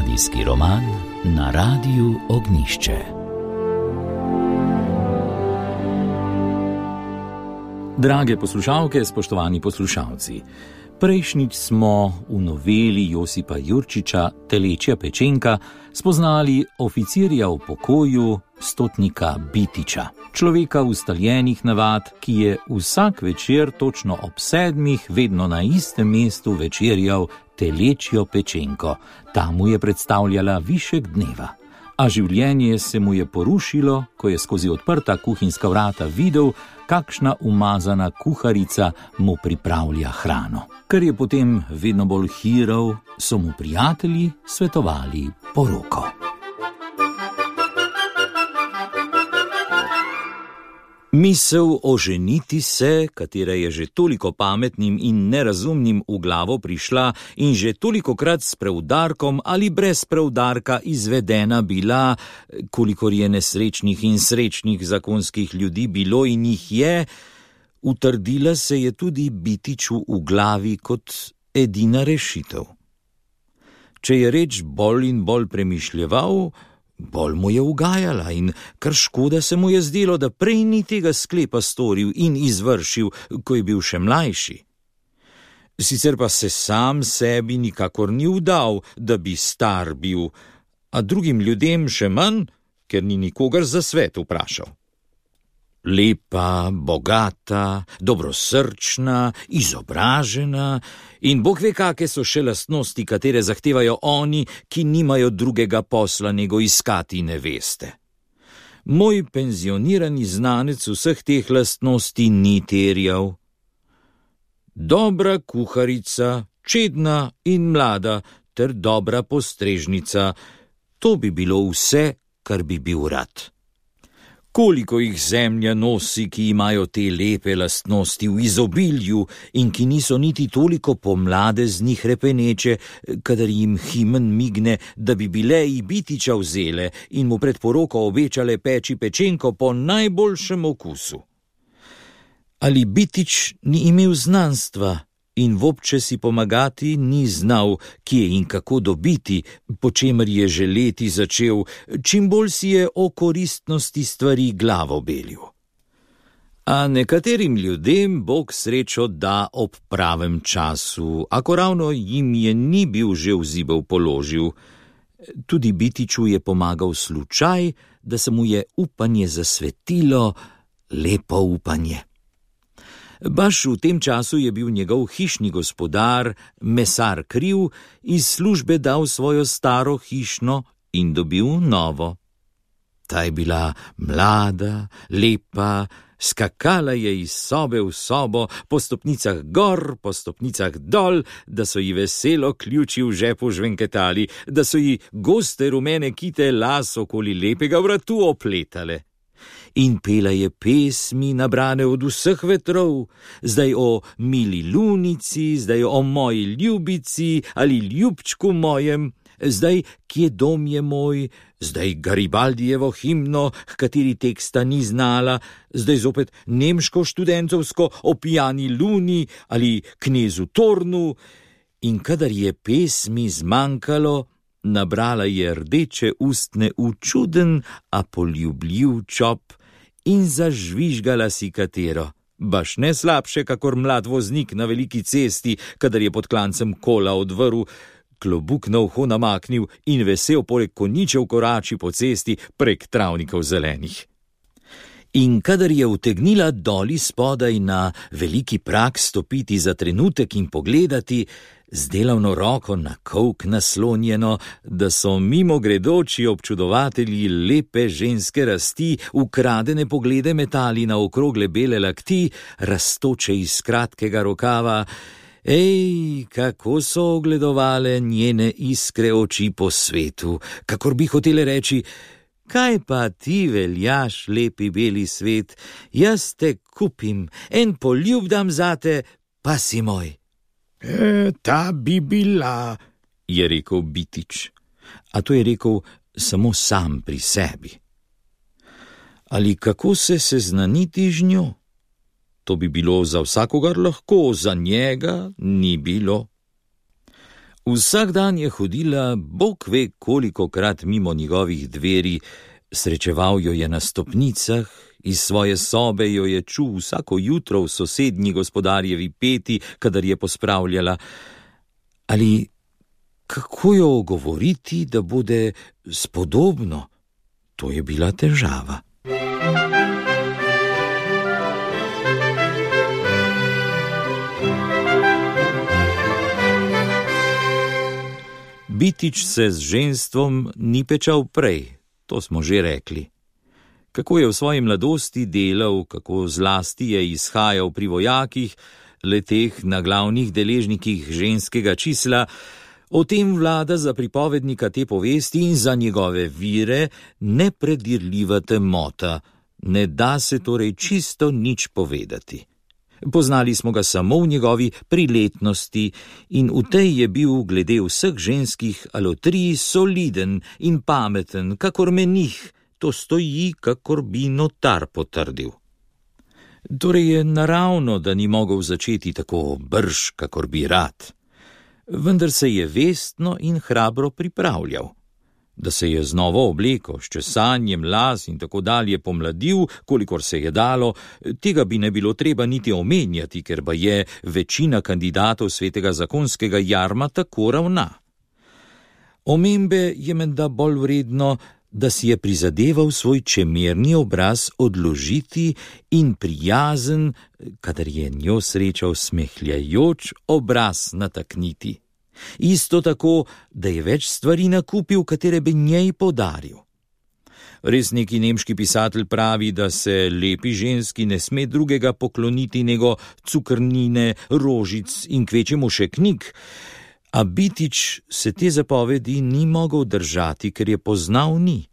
Radijski roman na Radiu Ognjišče. Drage poslušalke, spoštovani poslušalci, prejšnjič smo v noveli Josipa Jurčiča Telečja pečenka spoznali oficirja v pokoju, stotnika Bitiča, človeka ustaljenih navad, ki je vsak večer točno ob 7 vedno na istem mestu večerjal telečjo pečenko. Ta mu je predstavljala višek dneva. A življenje se mu je porušilo, ko je skozi odprta kuhinjska vrata videl, kakšna umazana kuharica mu pripravlja hrano. Ker je potem vedno bolj hirov, so mu prijatelji svetovali poroko. Misel oženiti se, katera je že toliko pametnim in nerazumnim v glavo prišla in že tolikokrat s preudarkom ali brez preudarka izvedena bila, kolikor je nesrečnih in srečnih zakonskih ljudi bilo in jih je, utrdila se je tudi Bitiču v glavi kot edina rešitev. Če je reč bolj in bolj premišljeval, bolj mu je ugajala in kar škoda se mu je zdelo, da prej ni tega sklepa storil in izvršil, ko je bil še mlajši. Sicer pa se sam sebi nikakor ni vdal, da bi star bil, a drugim ljudem še manj, ker ni nikogar za svet vprašal. Lepa, bogata, dobrosrčna, izobražena in bog ve, kake so še lastnosti, katere zahtevajo oni, ki nimajo drugega posla nego iskati neveste. Moj penzionirani znanec vseh teh lastnosti ni terjal. Dobra kuharica, čedna in mlada ter dobra postrežnica, to bi bilo vse, kar bi bil rad. Koliko jih zemlja nosi, ki imajo te lepe lastnosti v izobilju in ki niso niti toliko pomlade z njih repeneče, kadar jim himen migne, da bi bile i Bitiča vzele in mu pred poroko obečale peči pečenko po najboljšem okusu. Ali Bitič ni imel znanstva in vobče si pomagati ni znal, kje in kako dobiti, po čemer je že leti začel, čim bolj si je o koristnosti stvari glavo belil. A nekaterim ljudem Bog srečo da ob pravem času, ako ravno jim je ni bil že v zibel položil. Tudi Bitiču je pomagal slučaj, da se mu je upanje zasvetilo, lepo upanje. Baš v tem času je bil njegov hišni gospodar, mesar Kriv, iz službe dal svojo staro hišno in dobil novo. Ta je bila mlada, lepa, skakala je iz sobe v sobo, po stopnicah gor, po stopnicah dol, da so ji veselo ključi v žepu žvenketali, da so ji goste rumene kite las okoli lepega vratu opletale. In pela je pesmi nabrane od vseh vetrov, zdaj o mili lunici, zdaj o moji ljubici ali ljubčku mojem, zdaj kje dom je moj, zdaj Garibaldijevo himno, h kateri teksta ni znala, zdaj zopet nemško študentovsko o pijani luni ali knezu Tornu. In kadar je pesmi zmanjkalo, nabrala je rdeče ustne v čuden, a poljubljiv čop in zažvižgala si katero. Baš ne slabše, kakor mlad voznik na veliki cesti, kadar je pod klancem kola odvrl, klobuk na uho namaknil in vesel poleg konjičev korači po cesti prek travnikov zelenih. In kadar je utegnila doli spodaj na veliki prak stopiti za trenutek in pogledati, z delavno roko na kolk naslonjeno, da so mimogredoči občudovatelji lepe ženske rasti ukradene poglede metali na okrogle bele lakti, rastoče iz kratkega rokava, kako so ogledovale njene iskre oči po svetu, kakor bi hotele reči: kaj pa ti veljaš, lepi beli svet, jaz te kupim, en poljub dam zate, pa si moj. Ta bi bila, je rekel Bitič, a to je rekel samo sam pri sebi. Ali kako se seznaniti z njo? To bi bilo za vsakogar lahko, za njega ni bilo. Vsak dan je hodila, bog ve kolikokrat mimo njegovih dveri, srečeval jo je na stopnicah, iz svoje sobe jo je čul vsako jutro v sosednji gospodarjevi peti, kadar je pospravljala. Ali kako jo ogovoriti, da bude spodobno? To je bila težava. Bitič se z ženstvom ni pečal prej, to smo že rekli. Kako je v svoji mladosti delal, kako zlasti je izhajal pri vojakih, leteh na glavnih deležnikih ženskega čísla, o tem vlada za pripovednika te povesti in za njegove vire nepredirljiva temota, ne da se torej čisto nič povedati. Poznali smo ga samo v njegovi priletnosti in v tej je bil glede vseh ženskih alotrij soliden in pameten, kakor menih, to stoji, kakor bi notar potrdil. Torej je naravno, da ni mogel začeti tako brž, kakor bi rad. Vendar se je vestno in hrabro pripravljal. Da se je z novo obleko, s česanjem las in tako dalje pomladil, kolikor se je dalo, tega bi ne bilo treba niti omenjati, ker ba je večina kandidatov svetega zakonskega jarma tako ravna. Omembe je menda bolj vredno, da si je prizadeval svoj čemerni obraz odložiti in prijazen, kadar je njo srečal smehljajoč obraz natakniti. Isto tako, da je več stvari nakupil, katere bi njej podaril. Res neki nemški pisatelj pravi, da se lepi ženski ne sme drugega pokloniti nego cukrnine, rožic in kvečemu še knjig, a Bitič se te zapovedi ni mogel držati, ker je poznal ni.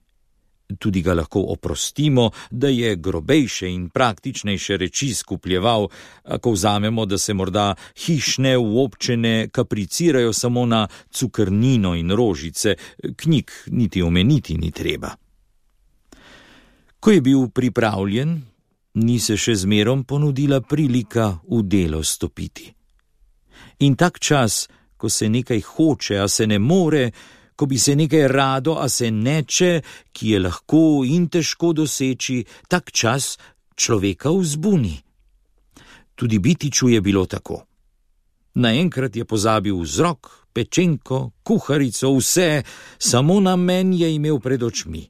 Tudi ga lahko oprostimo, da je grobejše in praktičnejše reči skupljeval, ako vzamemo, da se morda hišne uobčene kapricirajo samo na cukrnino in rožice, knjig niti omeniti ni treba. Ko je bil pripravljen, ni se še zmerom ponudila prilika v delo stopiti. In tak čas, ko se nekaj hoče, a se ne more, ko bi se nekaj rado, a se neče, ki je lahko in težko doseči, tak čas človeka vzbuni. Tudi Bitiču je bilo tako. Naenkrat je pozabil vzrok, pečenko, kuharico, vse, samo namen je imel pred očmi.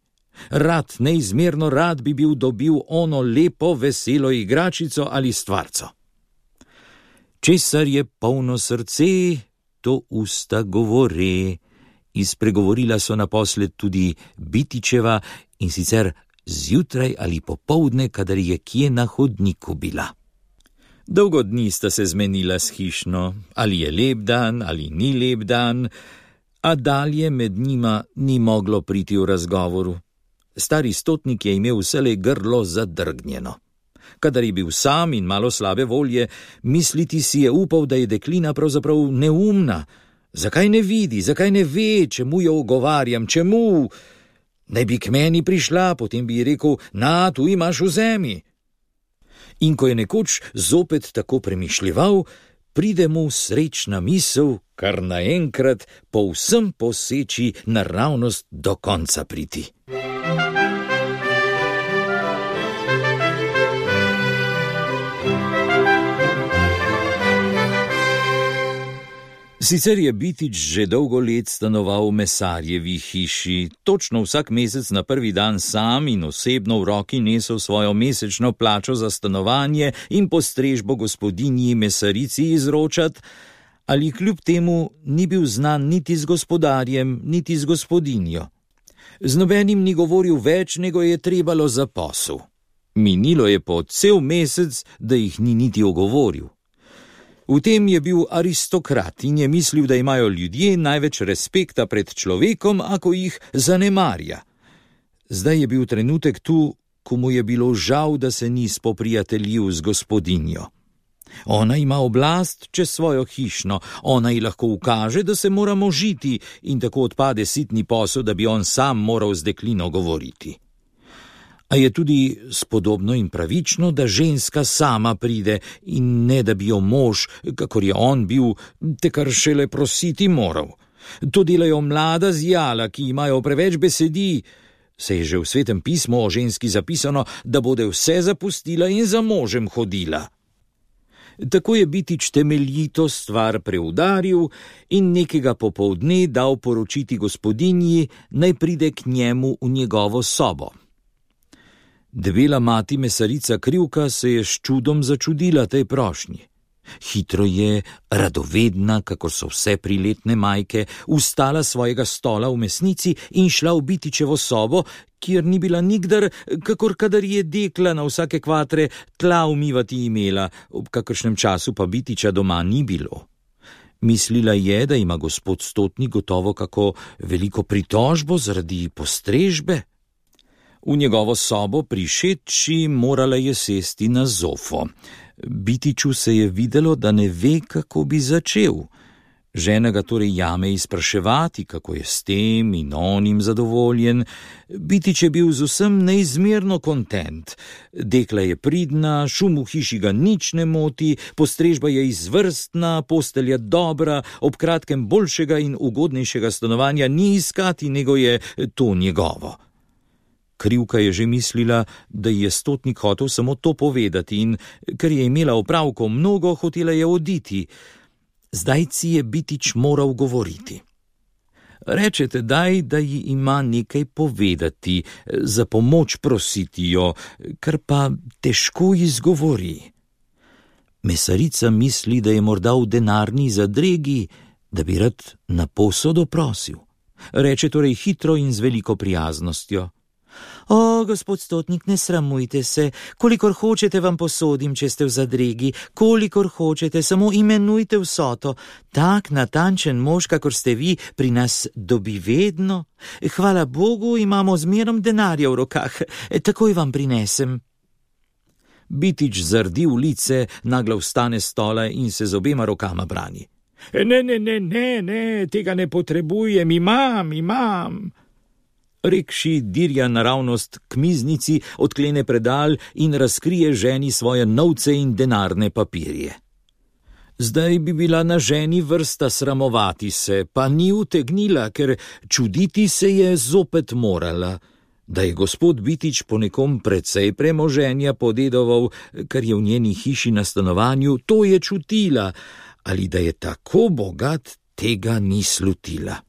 Rad, neizmerno rad bi bil dobil ono lepo, veselo igračico ali stvarco. Česar je polno srce, to usta govore. Izpregovorila so naposled tudi Bitičeva, in sicer zjutraj ali popoldne, kadar je kje na hodniku bila. Dolgo dni sta se zmenila s hišno, ali je lep dan ali ni lep dan, a dalje med njima ni moglo priti v razgovoru. Stari stotnik je imel vselej grlo zadrgnjeno. Kadar je bil sam in malo slabe volje, misliti si je upal, da je deklina pravzaprav neumna. Zakaj ne vidi, zakaj ne ve, čemu jo ogovarjam, čemu? Naj bi k meni prišla, potem bi ji rekel, na, tu imaš vzemi. In ko je nekoč zopet tako premišljeval, pride mu srečna misel, kar naenkrat povsem poseči naravnost do konca priti. Sicer je Bitič že dolgo let stanoval v mesarjevi hiši, točno vsak mesec na prvi dan sam in osebno v roki nesel svojo mesečno plačo za stanovanje in postrežbo gospodinji mesarici izročat, ali kljub temu ni bil znan niti z gospodarjem, niti z gospodinjo. Z nobenim ni govoril več, nego je trebalo za posel. Minilo je po cel mesec, da jih ni niti ogovoril. V tem je bil aristokrat in je mislil, da imajo ljudje največ respekta pred človekom, ako jih zanemarja. Zdaj je bil trenutek tu, ko mu je bilo žal, da se ni spoprijateljil z gospodinjo. Ona ima oblast čez svojo hišno, ona ji lahko ukaže, da se moramo žiti, in tako odpade sitni posel, da bi on sam moral z deklino govoriti. A je tudi spodobno in pravično, da ženska sama pride in ne da bi jo mož, kakor je on bil, te kar šele prositi moral. To delajo mlada zjala, ki imajo preveč besedi. Se je že v Svetem pismu o ženski zapisano, da bode vse zapustila in za možem hodila. Tako je Bitič temeljito stvar preudaril in nekega popoldne dal poročiti gospodinji, naj pride k njemu v njegovo sobo. Debela mati mesarica Krivka se je s čudom začudila tej prošnji. Hitro je, radovedna, kakor so vse priletne majke, vstala svojega stola v mesnici in šla v Bitičevo sobo, kjer ni bila nikdar, kakor kadar je dekla na vsake kvatre tla umivati imela, ob kakršnem času pa Bitiča doma ni bilo. Mislila je, da ima gospod Stotnik gotovo kako veliko pritožbo zaradi postrežbe. V njegovo sobo prišedši morala je sesti na zofo. Bitiču se je videlo, da ne ve, kako bi začel. Žena ga torej jame izpraševati, kako je s tem in onim zadovoljen. Bitič je bil z vsem neizmerno kontent. Dekla je pridna, šum v hiši ga nič ne moti, postrežba je izvrstna, postelja dobra, ob kratkem boljšega in ugodnejšega stanovanja ni iskati, nego je to njegovo. Krivka je že mislila, da je Stotnik hotel samo to povedati in, ker je imela opravkov mnogo, hotela je oditi. Zdaj si je Bitič moral govoriti. Rečete daj, da ji ima nekaj povedati, za pomoč prositi jo, kar pa težko izgovori. Mesarica misli, da je morda v denarni zadregi, da bi rad na posodo prosil. Reče torej hitro in z veliko prijaznostjo. O, gospod Stotnik, ne sramujte se, kolikor hočete vam posodim, če ste v zadregi, kolikor hočete, samo imenujte vsoto. Tak natančen mož, kakor ste vi, pri nas dobi vedno. Hvala Bogu, imamo zmerom denarja v rokah, takoj vam prinesem. Bitič zardi v lice, naglo vstane s stola in se z obema rokama brani. Ne, tega ne potrebujem, imam. Rekši dirja naravnost k miznici, odklene predal in razkrije ženi svoje novce in denarne papirje. Zdaj bi bila na ženi vrsta sramovati se, pa ni utegnila, ker čuditi se je zopet morala. Da je gospod Bitič po nekom precej premoženja podedoval, kar je v njeni hiši na stanovanju, to je čutila, ali da je tako bogat, tega ni slutila.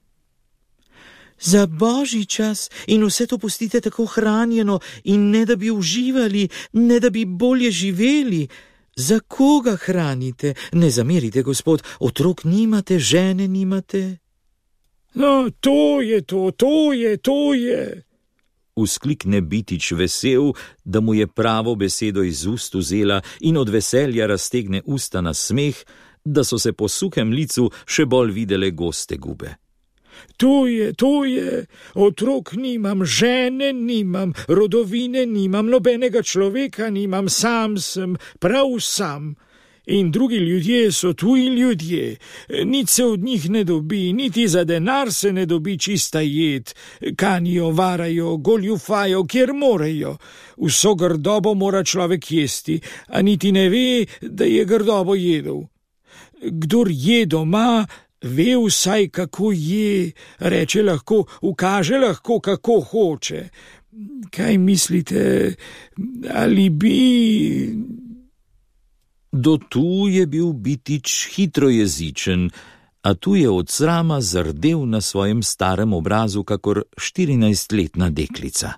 Za božji čas in vse to pustite tako hranjeno in ne da bi uživali, ne da bi bolje živeli. Za koga hranite? Ne zamerite, gospod, otrok nimate, žene nimate. No, to je. Vzklikne Bitič vesel, da mu je pravo besedo iz ust vzela in od veselja raztegne usta na smeh, da so se po suhem licu še bolj videle goste gube. To je, otrok nimam, žene nimam, rodovine nimam, nobenega človeka nimam, sam sem, prav sam. In drugi ljudje so tuji ljudje, nič se od njih ne dobi, niti za denar se ne dobi čista jed, kanijo, varajo, goljufajo, kjer morejo. Vso grdobo mora človek jesti, a niti ne ve, da je grdobo jedel. Kdor je doma, ve vsaj, kako je, reče lahko, ukaže lahko, kako hoče. Kaj mislite, ali bi... Do tu je bil Bitič hitrojezičen, a tu je od srama zardel na svojem starem obrazu kakor 14-letna deklica.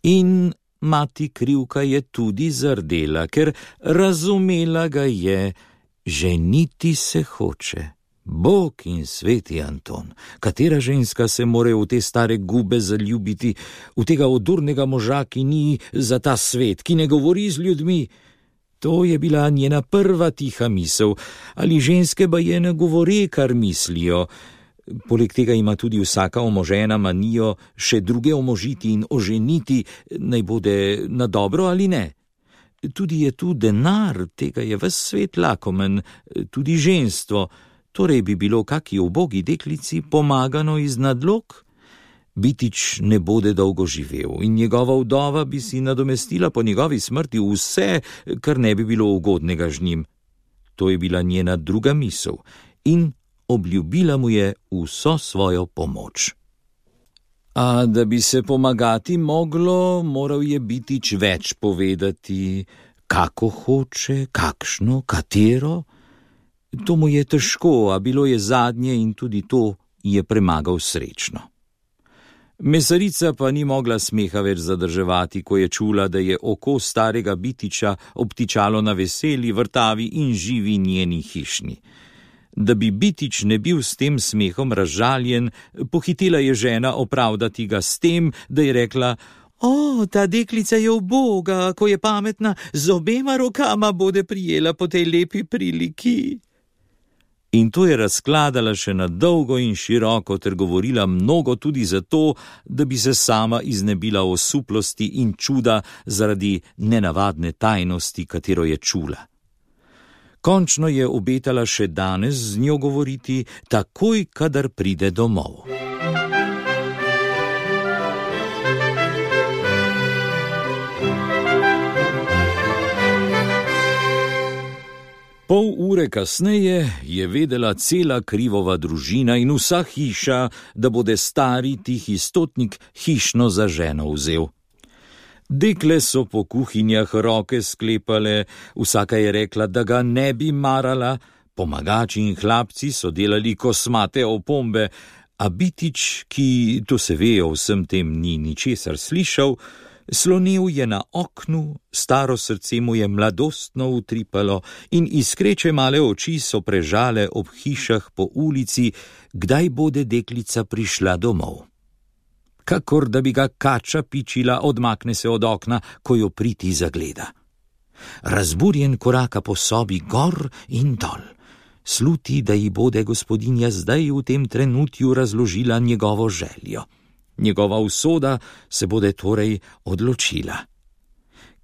In mati Krivka je tudi zardela, ker razumela ga je, ženiti se hoče. Bog in sveti Anton, katera ženska se more v te stare gube zaljubiti, v tega odurnega moža, ki ni za ta svet, ki ne govori z ljudmi. To je bila njena prva tiha misel, ali ženske baje ne govore, kar mislijo. Poleg tega ima tudi vsaka omožena manijo še druge omožiti in oženiti, naj bode na dobro ali ne. Tudi je tu denar, tega je ves svet lakomen, tudi ženstvo, torej bi bilo kaki ubogi deklici pomagano iz nadlog. Bitič ne bode dolgo živel in njegova vdova bi si nadomestila po njegovi smrti vse, kar ne bi bilo ugodnega z njim. To je bila njena druga misel in obljubila mu je vso svojo pomoč. A da bi se pomagati moglo, moral je Bitič več povedati, kako hoče, kakšno, katero. To mu je težko, a bilo je zadnje in tudi to je premagal srečno. Mesarica pa ni mogla smeha več zadrževati, ko je čula, da je oko starega Bitiča obtičalo na veseli, vrtavi in živi njeni hišni. Da bi Bitič ne bil s tem smehom razžaljen, pohitela je žena opravdati ga s tem, da je rekla: "O, ta deklica je uboga, ko je pametna, z obema rokama bode prijela po tej lepi priliki." In to je razkladala še na dolgo in široko ter govorila mnogo tudi zato, da bi se sama iznebila osuplosti in čuda zaradi nenavadne tajnosti, katero je čula. Končno je obetala še danes z njo govoriti, takoj, kadar pride domov. Pol ure kasneje je vedela cela Krivova družina in vsa hiša, da bode stari tihi stotnik hišno za ženo vzel. Dekle so po kuhinjah roke sklepale, vsaka je rekla, da ga ne bi marala, pomagači in hlapci so delali kosmate opombe, a Bitič, ki, to se ve, o vsem tem ni ničesar slišal, slonil je na oknu, staro srce mu je mladostno utripalo in iskreče male oči so prežale ob hišah po ulici, kdaj bode deklica prišla domov. Kakor da bi ga kača pičila, odmakne se od okna, ko jo priti zagleda. Razburjen koraka po sobi gor in dol. Sluti, da ji bode gospodinja zdaj v tem trenutju razložila njegovo željo. Njegova usoda se bode torej odločila.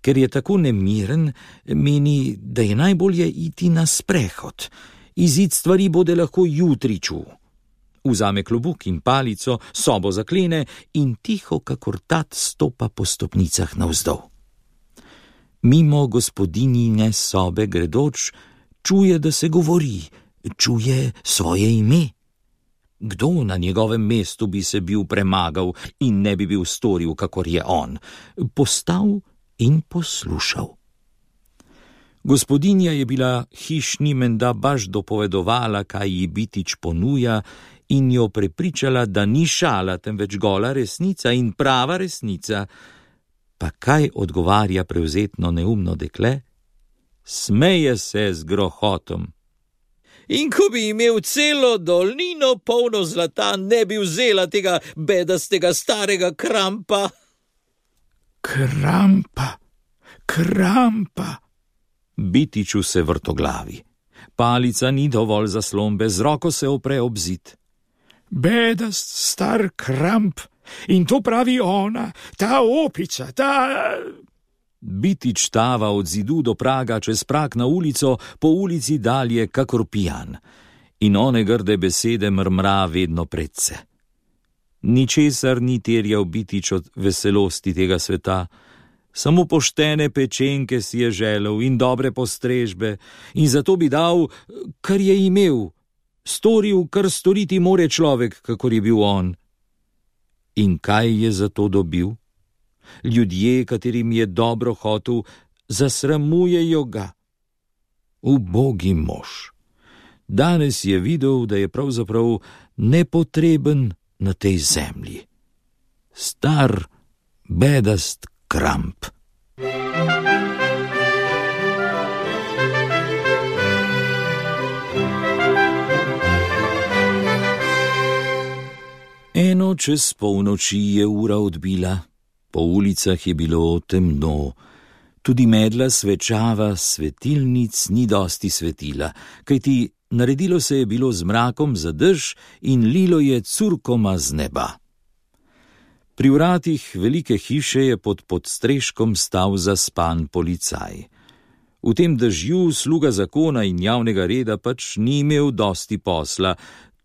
Ker je tako nemiren, meni, da je najbolje iti na sprehod. Izid stvari bode lahko jutri čul. Vzame klobuk in palico, sobo zaklene in tiho kakor tat stopa po stopnicah navzdol. Mimo gospodinjine sobe gredoč, čuje, da se govori, čuje svoje ime. Kdo na njegovem mestu bi se bil premagal in ne bi bil storil, kakor je on? Postal in poslušal. Gospodinja je bila hišni menda baš dopovedovala, kaj ji Bitič ponuja, in jo prepričala, da ni šala, temveč gola resnica in prava resnica. Pa kaj odgovarja prevzetno neumno dekle? Smeje se z grohotom. In ko bi imel celo dolnino polno zlata, ne bi vzela tega bedastega starega Krampa. Krampa. Bitiču se vrtoglavi. Palica ni dovolj zaslombe, z roko se opre ob zid. Bedast star Kramp, in to pravi ona, ta opica, ta... Bitič tava od zidu do praga, čez prag na ulico, po ulici dalje kakor pijan. In one grde besede mrmra vedno predse. Ničesar ni terjal Bitič od veselosti tega sveta, samo poštene pečenke si je želel in dobre postrežbe, in zato bi dal, kar je imel, storil, kar storiti more človek, kakor je bil on. In kaj je za to dobil? Ljudje, katerim je dobro hotel, zasramujejo ga. Ubogi mož. Danes je videl, da je pravzaprav nepotreben na tej zemlji. Star, bedast Kramp. Eno čez polnoči je ura odbila. Po ulicah je bilo temno, tudi medla svečava svetilnic ni dosti svetila, kajti naredilo se je bilo z mrakom za dež in lilo je curkoma z neba. Pri vratih velike hiše je pod podstreškom stal zaspan policaj. V tem dežju sluga zakona in javnega reda pač ni imel dosti posla,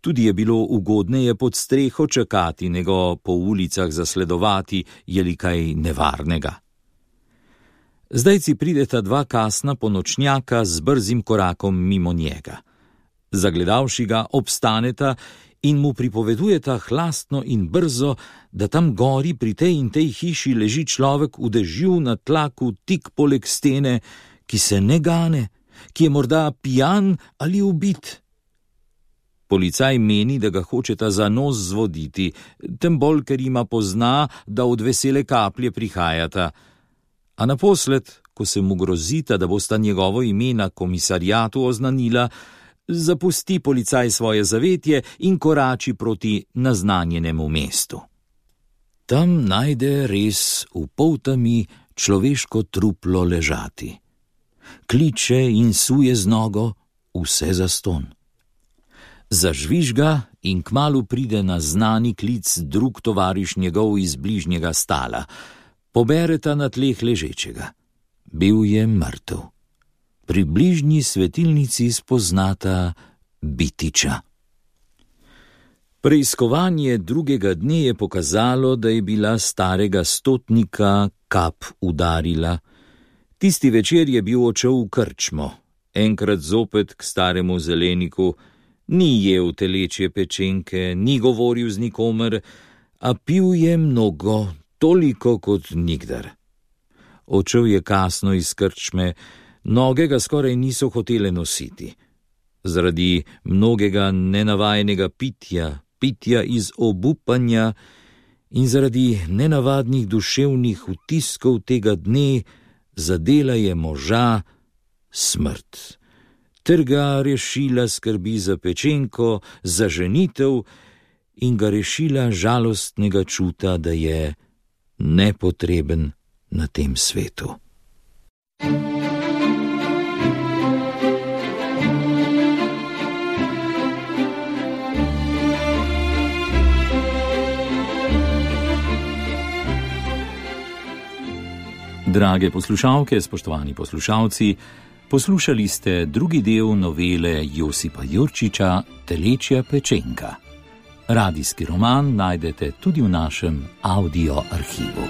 Tudi je bilo ugodneje pod streho čakati, nego po ulicah zasledovati, je li kaj nevarnega. Zdajci prideta dva kasna ponočnjaka z brzim korakom mimo njega. Zagledavši ga, obstaneta in mu pripovedujeta hlastno in brzo, da tam gori pri tej in tej hiši leži človek v dežju na tlaku tik poleg stene, ki se ne gane, ki je morda pijan ali ubit. Policaj meni, da ga hočeta za nos zvoditi, tem bolj, ker ima pozna, da od vesele kaplje prihajata. A naposled, ko se mu grozita, da bosta njegovo ime na komisariatu oznanila, zapusti policaj svoje zavetje in korači proti naznanjenemu mestu. Tam najde res v poltami človeško truplo ležati. Kliče in suje z nogo, vse zaston. Zažvižga in kmalu pride na znani klic drug tovariš njegov iz bližnjega stala. Pobereta na tleh ležečega. Bil je mrtev. Pri bližnji svetilnici spoznata Bitiča. Preiskovanje drugega dne je pokazalo, da je bila starega stotnika kap udarila. Tisti večer je bil odšel v krčmo, enkrat zopet k staremu zeleniku, ni jel telečje pečenke, ni govoril z nikomer, a pil je mnogo, toliko kot nikdar. Odšel je kasno iz krčme, noge ga skoraj niso hotele nositi. Zaradi mnogega nenavajenega pitja iz obupanja in zaradi nenavadnih duševnih vtiskov tega dne zadela je moža smrt. Ter ga rešila skrbi za pečenko, za ženitev in ga rešila žalostnega čuta, da je nepotreben na tem svetu. Drage poslušalke, spoštovani poslušalci, poslušali ste drugi del novele Josipa Jurčiča Telečja pečenka. Radijski roman najdete tudi v našem audio arhivu.